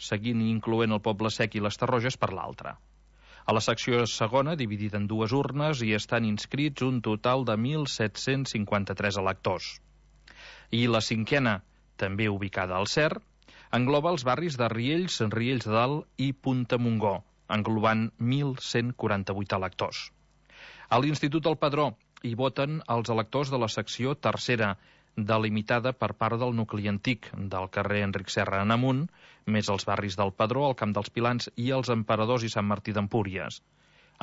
seguint i incloent el Poble Sec i les Tarroges per l'altra. A la secció segona, dividida en dues urnes, hi estan inscrits un total de 1.753 electors. I la cinquena, també ubicada al CER, engloba els barris de Riells, Riells de Dalt i Punta Montgó, englobant 1.148 electors. A l'Institut del Padró hi voten els electors de la secció tercera, delimitada per part del nucli antic del carrer Enric Serra en amunt, més els barris del Padró, el Camp dels Pilans i els Emperadors i Sant Martí d'Empúries.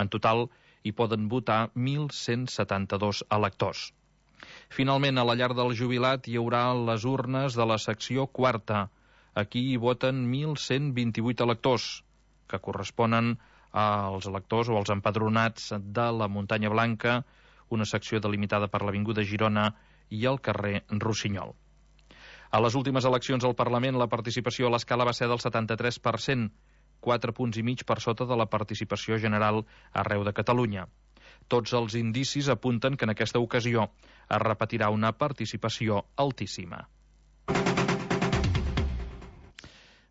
En total, hi poden votar 1.172 electors. Finalment, a la llar del jubilat hi haurà les urnes de la secció quarta. Aquí hi voten 1.128 electors, que corresponen als electors o als empadronats de la Muntanya Blanca, una secció delimitada per l'Avinguda Girona i el carrer Rossinyol. A les últimes eleccions al Parlament, la participació a l'escala va ser del 73%, 4 punts i mig per sota de la participació general arreu de Catalunya. Tots els indicis apunten que en aquesta ocasió es repetirà una participació altíssima.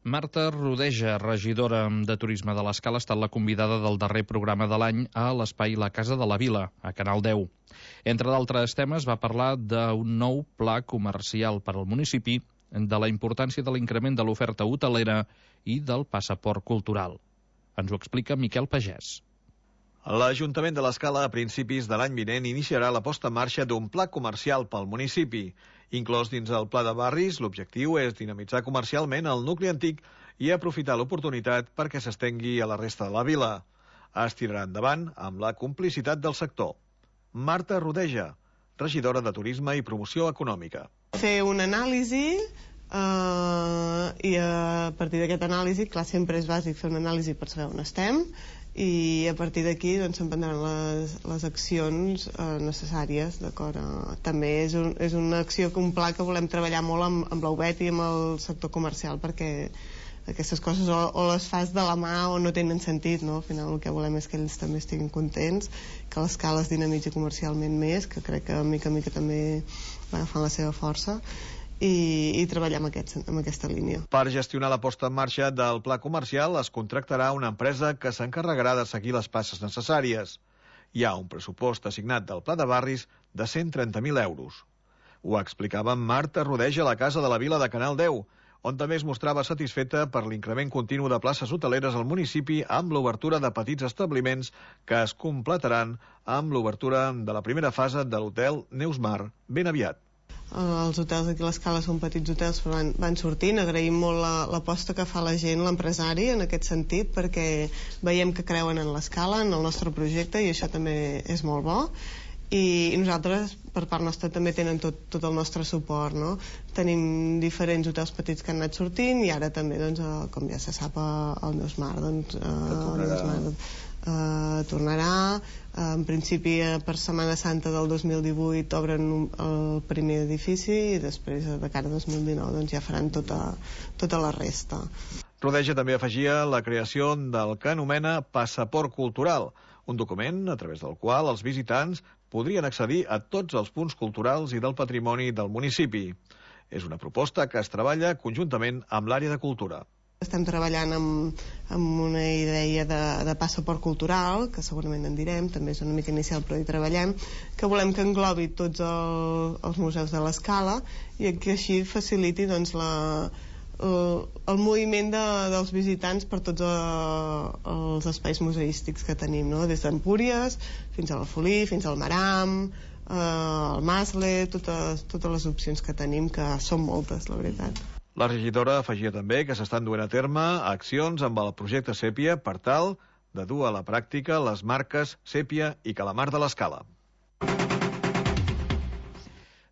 Marta Rodeja, regidora de Turisme de l'Escala, ha estat la convidada del darrer programa de l'any a l'espai La Casa de la Vila, a Canal 10. Entre d'altres temes, va parlar d'un nou pla comercial per al municipi, de la importància de l'increment de l'oferta hotelera i del passaport cultural. Ens ho explica Miquel Pagès. L'Ajuntament de l'Escala, a principis de l'any vinent, iniciarà la posta en marxa d'un pla comercial pel municipi. Inclòs dins el pla de barris, l'objectiu és dinamitzar comercialment el nucli antic i aprofitar l'oportunitat perquè s'estengui a la resta de la vila. Es tirarà endavant amb la complicitat del sector. Marta Rodeja, regidora de Turisme i Promoció Econòmica. Fer una anàlisi i a partir d'aquesta anàlisi, clar, sempre és bàsic fer una anàlisi per saber on estem, i a partir d'aquí doncs, s'emprendran les accions necessàries, d'acord? També és una acció, un pla que volem treballar molt amb l'UBET i amb el sector comercial, perquè aquestes coses o les fas de la mà o no tenen sentit, no? Al final el que volem és que ells també estiguin contents, que l'Escala es dinamitzi comercialment més, que crec que mica en mica també va agafant la seva força, i treballar amb aquesta línia. Per gestionar la posta en marxa del pla comercial es contractarà una empresa que s'encarregarà de seguir les passes necessàries. Hi ha un pressupost assignat del pla de barris de 130.000 euros. Ho explicava Marta Rodeja a la Casa de la Vila de Canal 10, on també es mostrava satisfeta per l'increment continu de places hoteleres al municipi amb l'obertura de petits establiments que es completaran amb l'obertura de la primera fase de l'hotel Neusmar ben aviat. Els hotels aquí a l'Escala són petits hotels, però van sortint. Agraïm molt l'aposta que fa la gent, l'empresari, en aquest sentit, perquè veiem que creuen en l'Escala, en el nostre projecte, i això també és molt bo. I nosaltres, per part nostra, també tenen tot el nostre suport, no? Tenim diferents hotels petits que han anat sortint, i ara també, doncs, com ja se sap, el Neusmar, tornarà. En principi, per Setmana Santa del 2018 obren el primer edifici i després, de cara a 2019, doncs ja faran tota la resta. Rodeja també afegia la creació del que anomena Passaport Cultural, un document a través del qual els visitants podrien accedir a tots els punts culturals i del patrimoni del municipi. És una proposta que es treballa conjuntament amb l'àrea de cultura. Estem treballant amb una idea de passaport cultural, que segurament en direm, també és una mica inicial però hi treballem, que volem que englobi tots els museus de l'Escala i que així faciliti doncs, el moviment dels visitants per tots els espais museístics que tenim, no? Des d'Empúries fins a l'Alfolí, fins al Maram, al Masle, totes les opcions que tenim, que són moltes, la veritat. La regidora afegia també que s'estan duent a terme accions amb el projecte Sèpia per tal de dur a la pràctica les marques Sèpia i Calamar de l'Escala.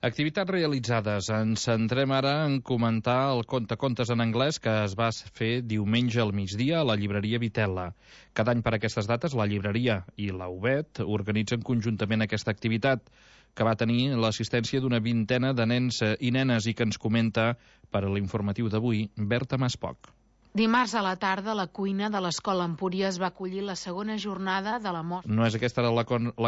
Activitats realitzades. Ens centrem ara en comentar el contes en anglès que es va fer diumenge al migdia a la llibreria Vitella. Cada any per aquestes dates la llibreria i la UBET organitzen conjuntament aquesta activitat, que va tenir l'assistència d'una vintena de nens i nenes i que ens comenta per a l'informatiu d'avui Berta Maspoc. Dimarts a la tarda, la cuina de l'Escola Empúries va acollir la segona jornada de la mostra. No és aquesta la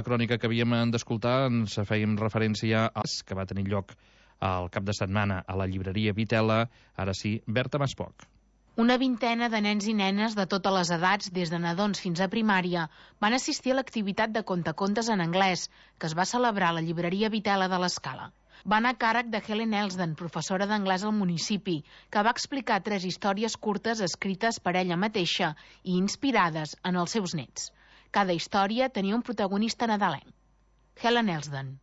crònica que havíem d'escoltar, ens fèiem referència a que va tenir lloc al cap de setmana a la llibreria Vitella. Ara sí, Berta Maspoc. Una vintena de nens i nenes de totes les edats, des de nadons fins a primària, van assistir a l'activitat de contacontes en anglès, que es va celebrar a la llibreria Vitela de l'Escala. Va anar a càrrec de Helen Elsden, professora d'anglès al municipi, que va explicar 3 històries curtes escrites per ella mateixa i inspirades en els seus nets. Cada història tenia un protagonista nadalenc. Helen Elsden.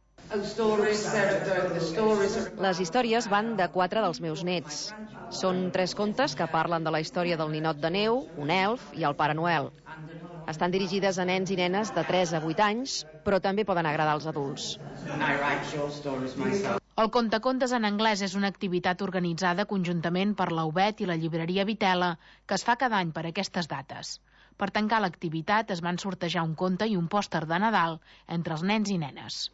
Les històries van de 4 dels meus nets. Són 3 contes que parlen de la història del ninot de neu, un elf i el Pare Noel. Estan dirigides a nens i nenes de 3 a 8 anys, però també poden agradar als adults. El contacontes en anglès és una activitat organitzada conjuntament per la UBET i la llibreria Vitela, que es fa cada any per aquestes dates. Per tancar l'activitat es van sortejar un conte i un pòster de Nadal entre els nens i nenes.